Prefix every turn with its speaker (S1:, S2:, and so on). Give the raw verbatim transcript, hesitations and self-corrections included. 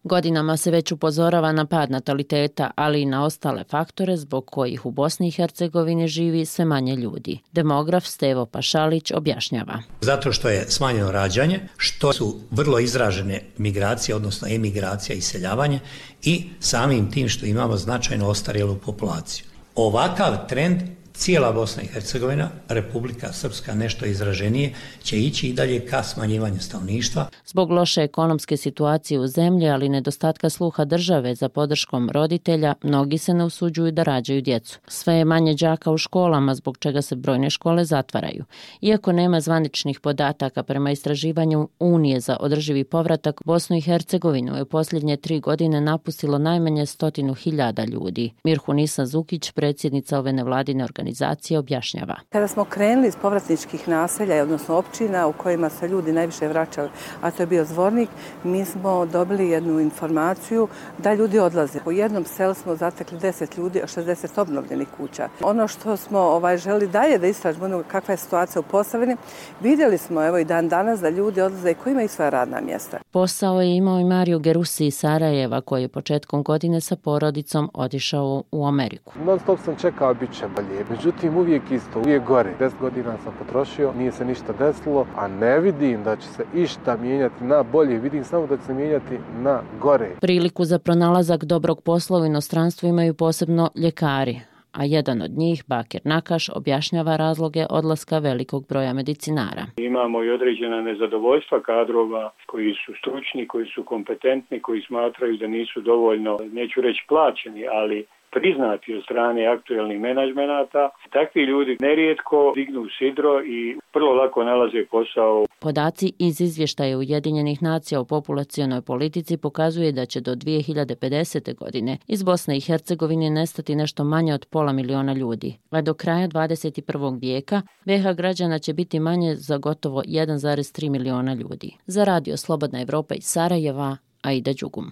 S1: Godinama se već upozorava na pad nataliteta, ali i na ostale faktore zbog kojih u Bosni i Hercegovini živi sve manje ljudi. Demograf Stevo Pašalić objašnjava.
S2: Zato što je smanjeno rađanje, što su vrlo izražene migracije, odnosno emigracija i iseljavanje i samim tim što imamo značajno ostarjelu populaciju. Ovakav trend cijela Bosna i Hercegovina, Republika Srpska nešto izraženije, će ići i dalje ka smanjivanju stanovništva.
S1: Zbog loše ekonomske situacije u zemlji, ali nedostatka sluha države za podrškom roditelja, mnogi se ne usuđuju da rađaju djecu. Sve je manje đaka u školama, zbog čega se brojne škole zatvaraju. Iako nema zvaničnih podataka prema istraživanju Unije za održivi povratak, Bosnu i Hercegovinu je u posljednje tri godine napustilo najmanje stotinu hiljada ljudi. Mirhunisa Zukić, predsjednica ove nevladine organizacije, organizacija objašnjava.
S3: Kada smo krenuli iz povratničkih naselja, odnosno općina u kojima se ljudi najviše vraćali, a to je bio Zvornik, mi smo dobili jednu informaciju da ljudi odlaze. U jednom selu smo zatekli deset ljudi, a šezdeset obnovljenih kuća. Ono što smo ovaj, želi dalje da istražimo kakva je situacija u Posavini, vidjeli smo evo i dan danas da ljudi odlaze i koji imaju svoja radna mjesta.
S1: Posao je imao i Mario Gerusi iz Sarajeva, koji je početkom godine sa porodicom otišao u Ameriku.
S4: Non stop sam čekao, bit će bolje. Međutim, uvijek isto, uvijek gore. Deset godina sam potrošio, nije se ništa desilo, a ne vidim da će se išta mijenjati na bolje. Vidim samo da će se mijenjati na gore.
S1: Priliku za pronalazak dobrog posla u inostranstvu imaju posebno ljekari, a jedan od njih, Bakir Nakaš, objašnjava razloge odlaska velikog broja medicinara.
S5: Imamo i određena nezadovoljstva kadrova koji su stručni, koji su kompetentni, koji smatraju da nisu dovoljno, neću reći plaćeni, ali priznati od strane aktuelnih menadžmenata. Takvi ljudi nerijetko dignu sidro i vrlo lako nalaze posao.
S1: Podaci iz izvještaja Ujedinjenih nacija o populacionoj politici pokazuje da će do dvije hiljade pedesete. godine iz Bosne i Hercegovine nestati nešto manje od pola miliona ljudi, a do kraja dvadeset prvog vijeka B iH građana će biti manje za gotovo jedan zarez tri miliona ljudi. Za Radio Slobodna Evropa iz Sarajeva, Aida Đugum.